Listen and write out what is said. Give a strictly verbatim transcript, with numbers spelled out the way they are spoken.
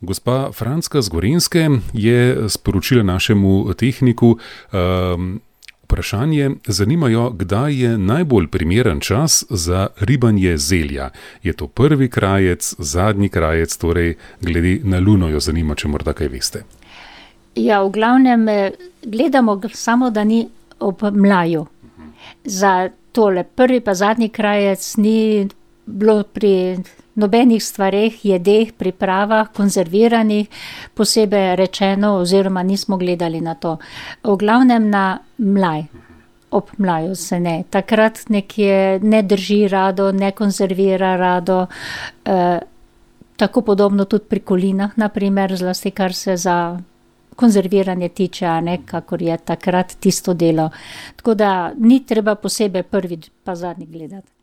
Gospa Franska z Gorenjske je sporočila našemu tehniku um, vprašanje. Zanimajo, kdaj je najbolj primeren čas za ribanje zelja. Je to prvi krajec, zadnji krajec, torej glede na luno jo zanima, če morda kaj veste. Ja, v glavnem gledamo samo, da ni ob mlaju. Za tole prvi pa zadnji krajec ni bilo pri nobenih stvareh, jedeh, pripravah, konzerviranih, posebej rečeno, oziroma nismo gledali na to. V glavnem na mlaj. Ob mlaju se ne. Takrat nekje ne drži rado, ne konzervira rado. E, tako podobno tudi pri kolinah, na primer, zlasti kar se za konzerviranje tiče, a ne, kakor je takrat tisto delo. Tako da ni treba posebej prvi pa zadnji gledati.